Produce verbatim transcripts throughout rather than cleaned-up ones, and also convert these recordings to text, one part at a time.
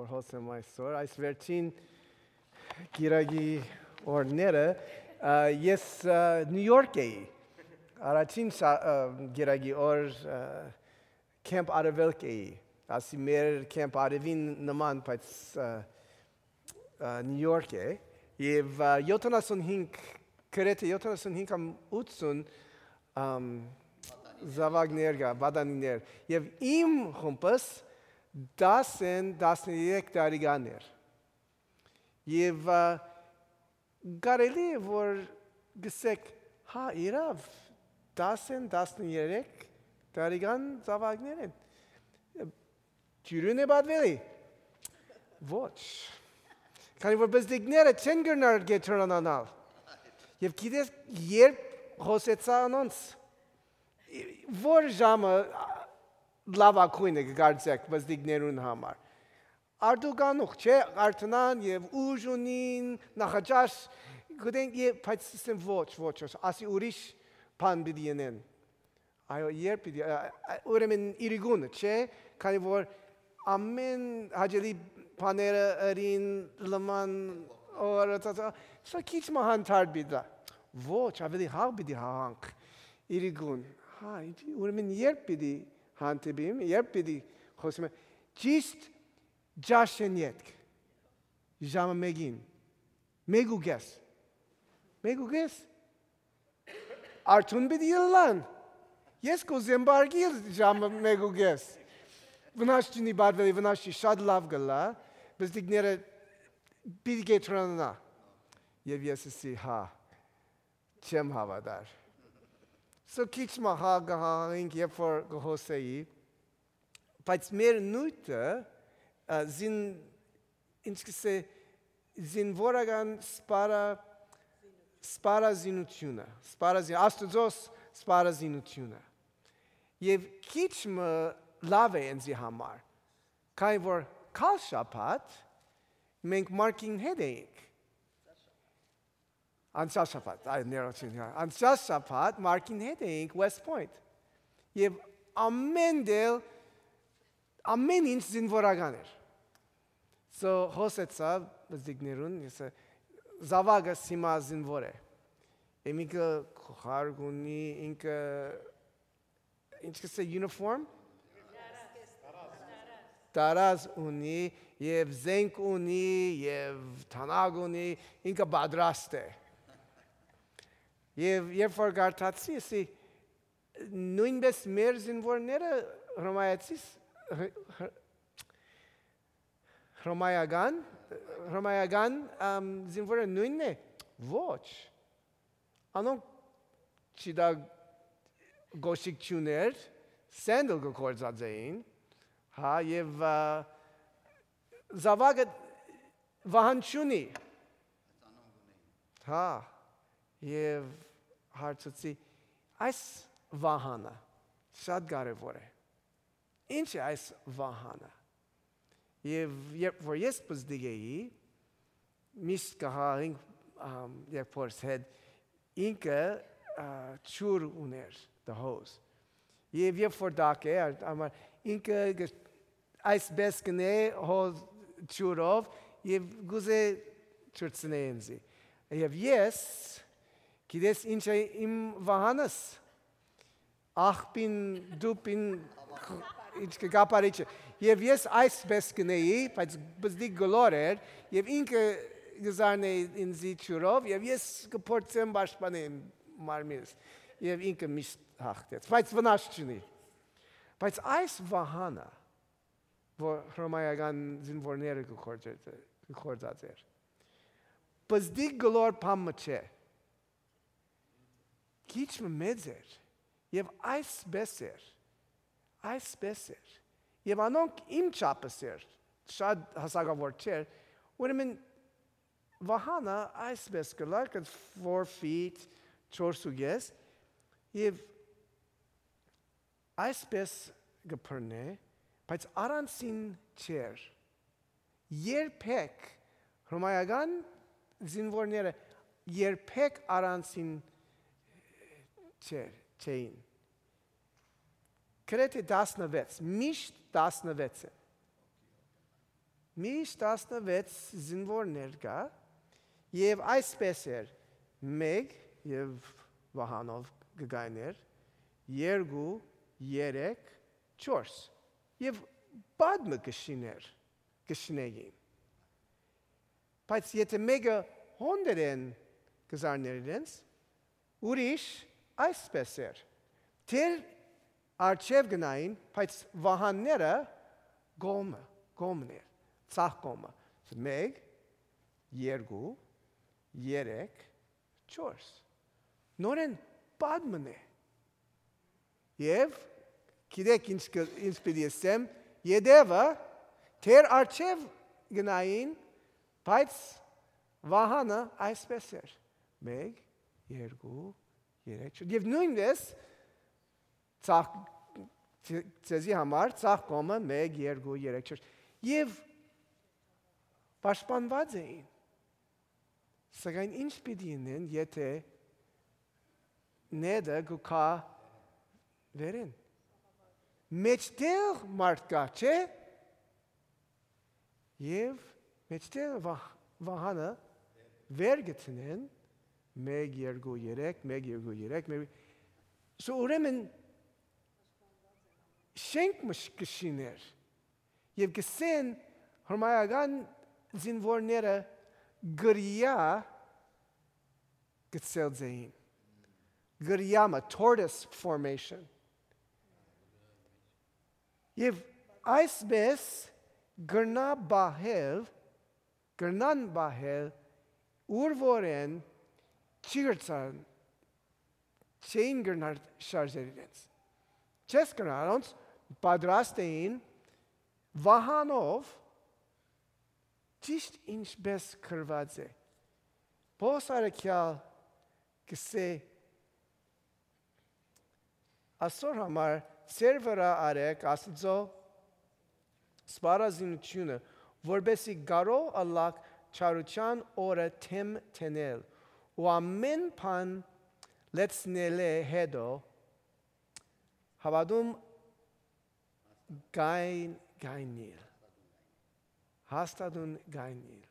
Հոս եմ այսօր, այս վերջին կիրակի օրները, ա, ես, ա, Նիու Յորք էի։ Առաջին շա-, ա, կիրակի օր, ա, Քեմփ Արեւելք էի։ Ասի մեր Քեմփ Արեւին նման, բայց, ա, ա, Նիու Յորք է։ Եւ, ա, յոթանասունհինգ, գրեթէ յոթանասունհինգ կամ ութսուն, ամ, զաւակներ կայ, պատանիներ։ Եւ իմ խումբս տասը, տասներեք տարեկան էր։ Եւ, ա, կարելի է որ գսեք, հա, իրաւ, տասը, տասներեք տարեկան զաւակներ են։ Դիւրին է պատուելի։ Ոչ։ Քանի որ պզտիկները չեն կրնար կեդրոնանալ։ Եւ գիտես, երբ խօսեցայ անոնց, որ ժամը լաւագոյնը կը կարծեք պզտիկներուն համար։ Արդու կանուխ, չէ, արթնան եւ ուժ ունին, նախաճաշ, գտեն, եւ, բայց ասեն, «Ոչ, ոչ, ոչ», ասի, «Ուրիշ բան պիտի ընեն»։ Այո, երբ պիտի, ա, ա, ուրեմն իրիկունը, չէ, քանի որ ամեն հաճելի բաները ըրին, լման, օրը, սա քիչ մը հանդարտ պիտի տայ։ Ոչ, ավելի հաղ պիտի հաղանք իրիկուն։ Հա, ուրեմն երբ պիտի հանդիպիմ, երբ պիտի խօսիմ, ճիշտ ճաշեն ետք, ժամը մէկին, մէկ ու կէս, մէկ ու կէս, արթուն պիտի ըլլան։ Ես կ'ուզեմ պարկիլ ժամը մէկ ու կէս։ Վնաս չունի, պատուելի, վնաս չի, շատ լաւ կ'ըլլայ, պզտիկները պիտի կեդրոնանայ։ Եւ ես ըսի, հա, չեմ հաւատար։ So քիչ մը հա կը հաղանենք, երբ որ կը խօսէի, բայց մեր նիւթը, ա, զին-, ինչ կ'ըսէ, զինուորական սպարա-, սպառազինութիւնը, սպառազին-, Աստուծոյ սպառազինութիւնը։ Եւ քիչ մը լաւ է ինծի համար, քանի որ գալ շաբաթ մենք Մարկին հետ էինք։ Անցյալ շաբաթ, այ, ներողություն, հա, անցյալ շաբաթ Մարկին հետ էինք West Point։ Եւ ամէն դել, ամէն ինչ զինուորական էր։ So, խօսեցայ պզտիկներուն, ես, ը, զաւակս հիմա զինուոր է։ Եմիկը գլխարկ ունի, ինքը, ինչ կ'ըսէ, uniform? Տարազ ունի, եւ զենք ունի, եւ թանակ ունի, ինքը պատրաստ է։ Եւ երբ որ կարդացի, ասի, նոյնպէս մեր զինուորները հռոմայացիս-, հ-, հ-, հռոմայական, հռոմայական, ամ, զինուորը նոյնն է։ Ոչ։ Անոնք, չիտա, կոշիկ չուներ, սենդլ կը գործածէին, հա, եւ, ա, զաւակը վահան չունի։ Հա, եւ հարցուցի, այս վահանը շատ կարեւոր է։ Ինչ է այս վահանը։ Եւ երբ որ ես պզտիկ էի, միշտ կը հաղինք, ամ, երբ որ հետ ինքը, ա, ջուր ուներ, the hose։ Եւ երբ որ տաք է, ա-, համար ինքը գ-, այսպես կ'ընէ հոզ ջուրով եւ գուզէ ջուրցնէ ինձի։ Եւ ես, գիտես ինչ է իմ վահանս։ Աղբին, դուպին, ինչ կը կապարիչը։ Եւ ես այսպես կ'ընէի, բայց պզտիկ գլոր էր, եւ ինքը կը զարնէ ինձի ջուրով, եւ ես կը փորձեմ պաշտպանեմ մարմինս։ Եւ ինքը միշտ հաղթեց, բայց վնաս չունի։ Բայց այս վահանը, որ հռոմայական զինուորները կը գործ-, կը գործած էր, պզտիկ գլոր բան մը չէ։ Քիչ մը մեծ էր, եւ այսպես էր, այսպես էր։ Եւ անոնք իմ չափս էր, շատ հասակաւոր չէր, ուրեմն վահանը այսպես կ'ըլլար, կը four feet, չորս ու կես, եւ այսպես կը բռնէ, բայց առանցին չէր։ Երբեք հռոմայական զինուորները երբեք առանցին չէր, չէին։ Գրեթէ տասնվեց, միշտ տասնվեց է։ միշտ տասնվեց զինուորներ կայ, եւ այսպէս էր. մէկ, եւ վահանով կը կայներ, երկու, երեք, չորս, եւ պատմը կը շիներ, կը շինէին։ Բայց եթէ մէկը հոն դերեն կը զարներ իրենց, ուրիշ այսպէս էր. դեր արջեւ գնային, բայց վահանները կողմը, կողմն էր, ցախ կողմը։ Մէկ, երկու, երեք, չորս։ Նորեն պատմն է։ Եւ գիտեք ինչ կը, ինչ պիտի ըսեմ, յետեւը դեր արջեւ գնային, բայց վահանը այսպէս էր. մէկ, երկու, երեք, չորս։ Եւ նոյնպես ցախ, ձեզի համար ցախ կողմը մէկ, երկու, երեք, չորս։ Եւ պաշտպանուած էին։ Սակայն ինչ պիտի ընեն, եթէ նետը կու գայ վերին։ Մէջտեղ մարդ կայ, չէ՞։ Եւ մէջտեղ վահ-, վահանը վեր գցնեն, մէկ, երկու, երեք, մէկ, երկու, երեք, մէկ, սո ուրեմն շենք մը շ-, կը շիներ։ Եւ կսեն հրմայական զինուորները կրիա գցել ձեին։ Կրիամը, tortoise formation։ Եւ այսպես կրնայ պահել, կրնան պահել, ուր որ են չի կրցան, չէին կրնար շարժել իրենց։ Չես կրնար, անոնց պատրաստ էին վահանով, ճիշտ ինչպես գրված է։ Պողոս առաքեալ կսէ, ասոր համար ձեր վրայ արեք Աստուծոյ սպառազինութիւնը, որպէսզի կարող ըլլաք չարութեան օրը դէմ դնել ու ամէն բան լեցնելէ հետո հաւատում կայն, կայնիլ, հաստատուն կայնիլ։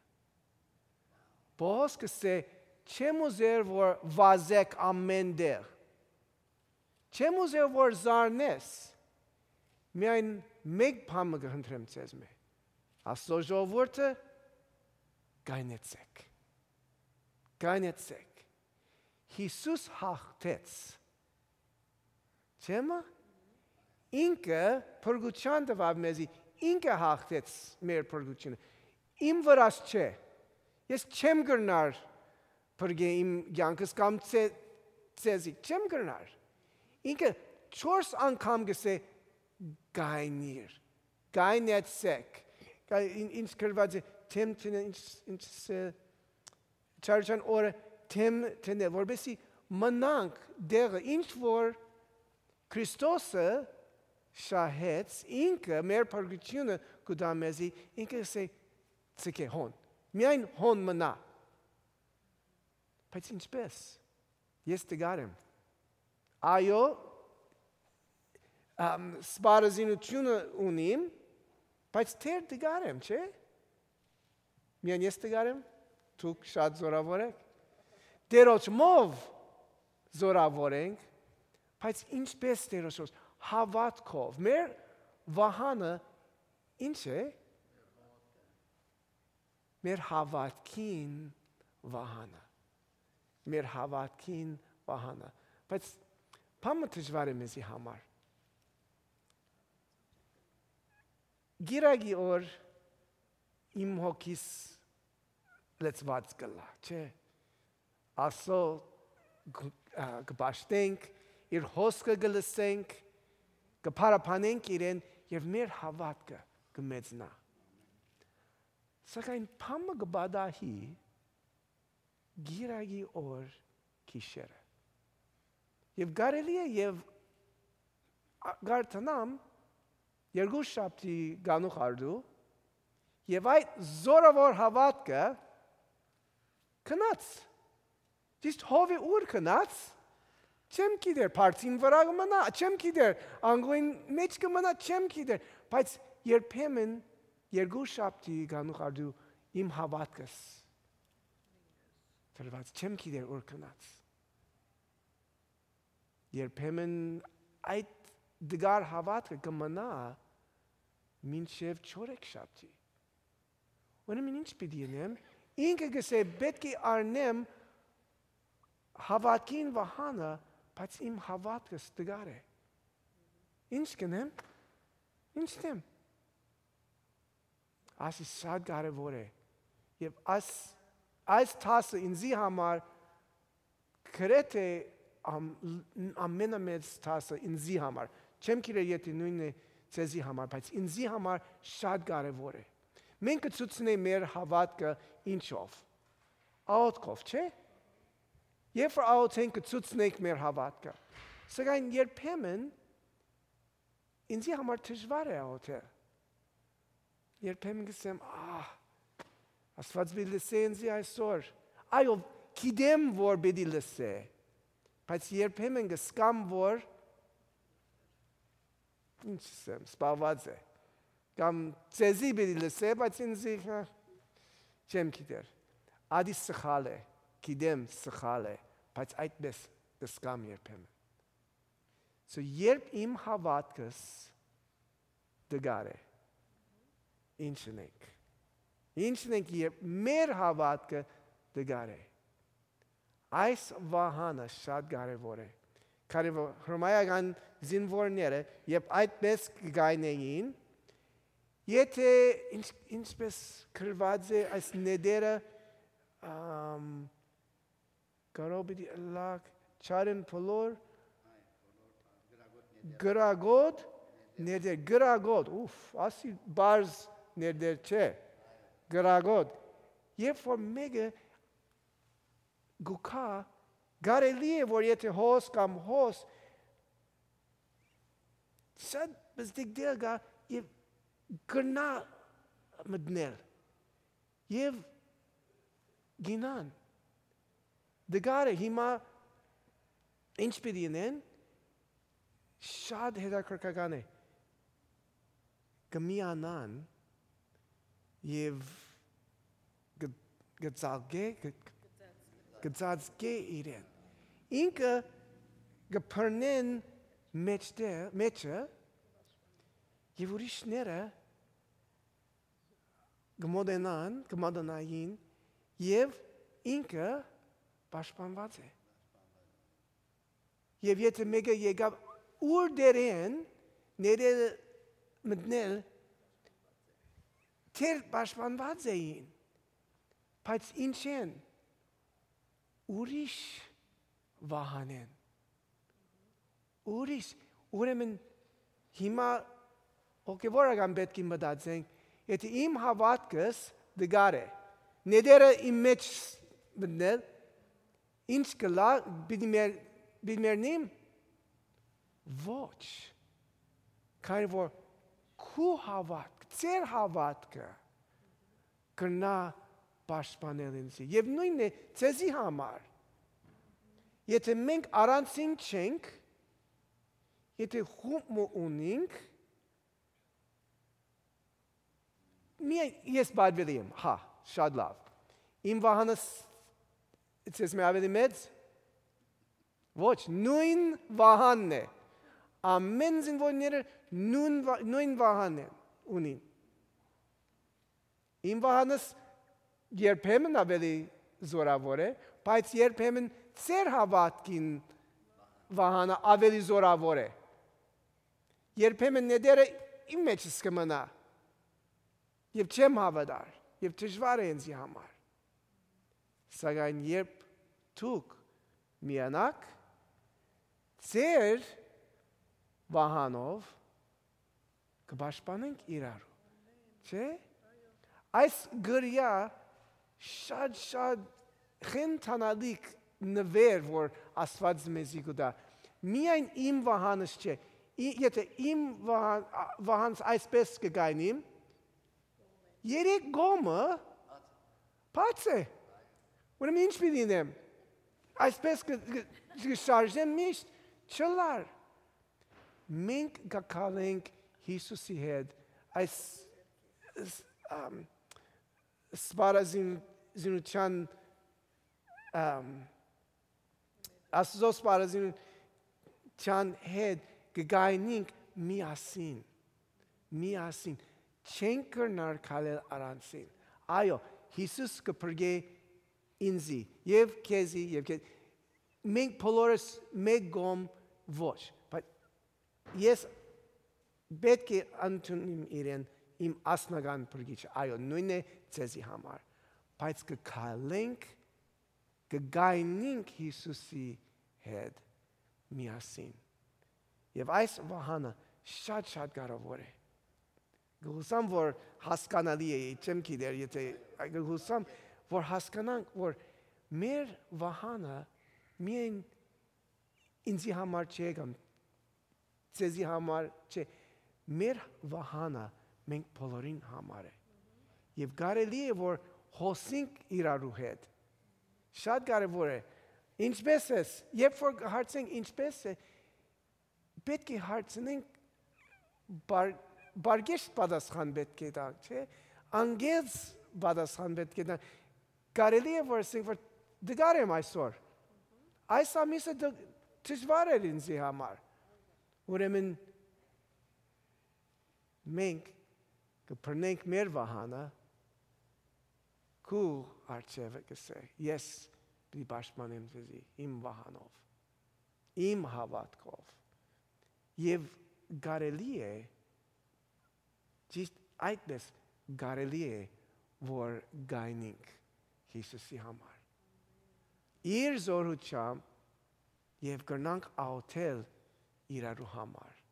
Պողոս կսէ, չեմ ուզեր որ վազեք ամէն տեղ, չեմ ուզեր որ զարնես, միայն մէկ բան մը կը խնդրեմ ձեզմէ. Աստուծոյ ժողովուրդը, կայնեցեք, կայնեցեք։ Յիսուս հաղթեց, չէ՞, մը։ Ինքը փրկութեան տուաւ մեզի, ինքը հաղթեց մեր փրկութիւնը։ Իմ վրաս չէ, ես չեմ կրնար փրկել իմ կեանքս կամ ձե-, ձեզի, չեմ կրնար։ Ինքը չորս անգամ կսէ, կայնիր, կայնեցեք։ Կա-, ին-, ինչ գրված է, դէմ դնե-, ինչ, ինչ սէ, չարչան օրը դէմ դնե, որպեսզի մնանք դեղը, ինչ որ Քրիստոսը շահեց, ինքը մեր փրկութիւնը կու տայ մեզի, ինքը կսէ, «Ցկէ հոն, միայն հոն մնայ»։ Բայց ինչպես։ Ես տկար եմ։ Այո, ամ, սպառազինութիւնը ունիմ, բայց թեր տկար եմ, չէ՞։ Միայն ես տկար եմ, դուք շատ զորաւոր եք։ Տերոջմով զորաւոր ենք, բայց ինչպես Տերոջով, հաւատքով։ Մեր վահանը ինչ է։ Մեր հաւատքին վահանը։ Մեր հաւատքին վահանը։ Բայց բան մը դժուար է մեզի համար։ Կիրակի օր իմ հոգիս լեցուած կ'ըլլայ, չէ՞։ Աստուծոյ կը, ա, կը պաշտենք, իր հոսքը կը լսենք, կը փառաբանենք իրեն եւ մեր հաւատքը կը մեծնայ։ Սակայն բան մը կը պատահի կիրակի օր գիշերը։ Եւ կարելի է եւ ա-, կարդանամ երկու շաբթի կանուխ արդու, եւ այդ զորաւոր հաւատքը գնաց։ Ճիշտ հովի ուր գնաց, չեմ գիտեր, բարձին վրայ կը մնայ, չեմ գիտեր, անգոյն մէջ կը մնայ, չեմ գիտեր, բայց երբեմն երկու շաբթի գանուխ արդու իմ հաւատքս դրուած, չեմ գիտեր ուր գնաց։ Երբեմն այդ դգար հաւատքը կը մնայ մինչեւ չորեքշաբթի։ Ուրեմն ի՞նչ պիտի ընեմ։ Ինքը կ'ըսէ, պէտք է առնեմ հաւատքին վահանը, բայց իմ հաւատքս դգար է։ Ի՞նչ կ'ընեմ։ Ի՞նչ ընեմ։ Ասի շատ կարեւոր է։ Եւ այս, այս դասը ինձի համար գրեթէ ամ-, ամենամեծ դասը ինձի համար։ Չեմ գիտեր եթէ նոյնն է ձեզի համար, բայց ինձի համար շատ կարեւոր է։ Մենք կը ցուցնենք մեր հաւատքը ինչով։ Աղօթքով, չէ՞։ Երբ որ աղօթենք, կը ցուցնենք մեր հաւատքը։ Սակայն երբեմն ինձի համար դժուար է աղօթել։ Երբեմն կ'ըսեմ, «Ահ, Աստուած պիտի լսէ ինձի այսօր»։ Այո, գիտեմ որ պիտի լսէ, բայց երբեմն կ'սկամ որ, ինչ ասեմ, սպաված է։ Կամ ձեզի պիտի լսէ, բայց ինձի, հա, չեմ գիտեր։ Ադի սխալ է, գիտեմ սխալ է, բայց այդպես կ'սկամ երբեմն։ So, երբ իմ հաւատքս դգար է, ի՞նչ ընենք։ Ի՞նչ ընենք, երբ մեր հաւատքը դգար է։ Այս վահանը շատ կարեւոր է։ Կարեւոր հռոմայական զինուորները, երբ այդպես կգայնեին, եթէ ինչ-, ինչպես գրուած է այս նետերը, ամ, կարող պիտի ըլլայ չարին բոլոր գրագոտ ներդեր, գրագոտ, ուֆ, ասի բարձ ներդեր չէ, գրագոտ։ Երբ որ մէկը գուքա, կարելի է որ եթէ հոս կամ հոս, շատ բզդիկ դեր գա եւ կրնայ մտնել եւ գինան։ Դգարը հիմա ինչ պիտի ընեն, շատ հետաքրքրական է։ Կը միանան եւ կը, կը ծաղկէ, կը, կը ծածկէ իրեն։ Ինքը կը բռնեն մեջտեղ, մեջը, եւ ուրիշները կը մոտենան, կը մոտենային, եւ ինքը պաշտպանուած է։ Եւ եթէ մէկը եկաւ ուր դերեն ներել մտնել, թեր պաշտպանուած էին, բայց ինչեն, ուրիշ վահանեն, ուրիշ, ուրեմն հիմա հոգեվորական պէտք է մտածենք, եթէ իմ հաւատքս դգար է, նետերը իմ մէջ մտնել, ինչ կ'ըլլայ, պիտի մեր-, պիտի մեռնիմ։ Ոչ, քանի որ քու հաւատք, ձեր հաւատքը կրնայ պաշտպանել ինձի։ Եւ նոյնն է ձեզի համար։ Եթէ մենք առանձին չենք, եթէ խումբ մը ունինք, միայն ես պատվելի եմ, հա, շատ լավ։ Իմ վահանս ձեզմէ ավելի մեծ, ոչ, նոյն վահանն է։ Ամէն զինուորները նոյն վա-, նոյն վահանն է, ունին։ Իմ վահանս երբեմն ավելի զորաւոր է, բայց երբեմն ձեր հաւատքին վահանը ավելի զորաւոր է։ Երբեմն նետերը իմ մեջս կը մնայ, եւ չեմ հաւատար, եւ դժուար է ինձի համար։ Սակայն երբ դուք միանաք, ձեր վահանով կը պաշտպանենք իրարու, չէ՞։ Այս գրեա շատ, շատ խենթանալիք նուէր, որ Աստուած մեզի կու տայ։ Միայն իմ վահանս չէ։ Ի-, եթէ իմ վահան-, ա-, վահանս այսպես կը գայնիմ, երեք կողմը բաց է։ Ուրեմն ի՞նչ պիտի ընեմ։ Այսպես կը, կը, կը շարժեմ միշտ, չըլլար։ Մենք կը քալենք Յիսուսի հետ այս ս-, ամ, սպառազին-, զինութեան, ամ, Աստուծոյ սպառազինութեան հետ կը գայնինք միասին, միասին, չենք կրնար քալել առանցին։ Այո, Յիսուս կը փրկէ ինծի եւ քեզի եւ քեզ, մենք բոլորս մէկ կողմ ոչ, բայց ես պէտք է ընդունիմ իրեն իմ անձնական փրկիչը, այո, նոյնն է ձեզի համար, բայց կը քալենք, կը գայնինք Յիսուսի հետ միասին։ Եւ այս վահանը շատ-շատ կարեւոր է։ Կը յուսամ, որ հասկանալի է, չեմ գիտեր, եթե, կը յուսամ, որ հասկանանք, որ մեր վահանը միայն ինձի համար չէ կամ ձեզի համար չէ, մեր վահանը մենք բոլորին համար է։ Եւ կարելի է, որ հոսենք իրարու հետ։ Շատ կարեւոր է։ Ինչպե՞ս ես, երբ որ հարցենք ինչպե՞ս է, պէտք է հարցնենք, բար-, բարգեշտ պատասխան պէտք է տանք, չէ՞։ Անգերձ պատասխան պէտք է տանք։ Կարելի է, որ ասենք, որ դժուար եմ այսօր։ Այս ամիսը դ-, դժուար էր ինձի համար։ Ուրեմն մենք կը բռնենք մեր վահանը, քու առջեւը կ'ըսէ, ես պիտի պաշտպանեմ ձեզի իմ վահանով, իմ հաւատքով։ Եւ կարելի է, ճիշտ այդպես կարելի է, որ գայնինք Յիսուսի համար։ Իր զորութեամբ եւ կրնանք աղոթել իրարու համար։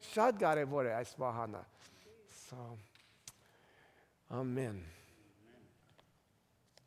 Շատ կարեւոր է այս վահանը։ So, ամեն։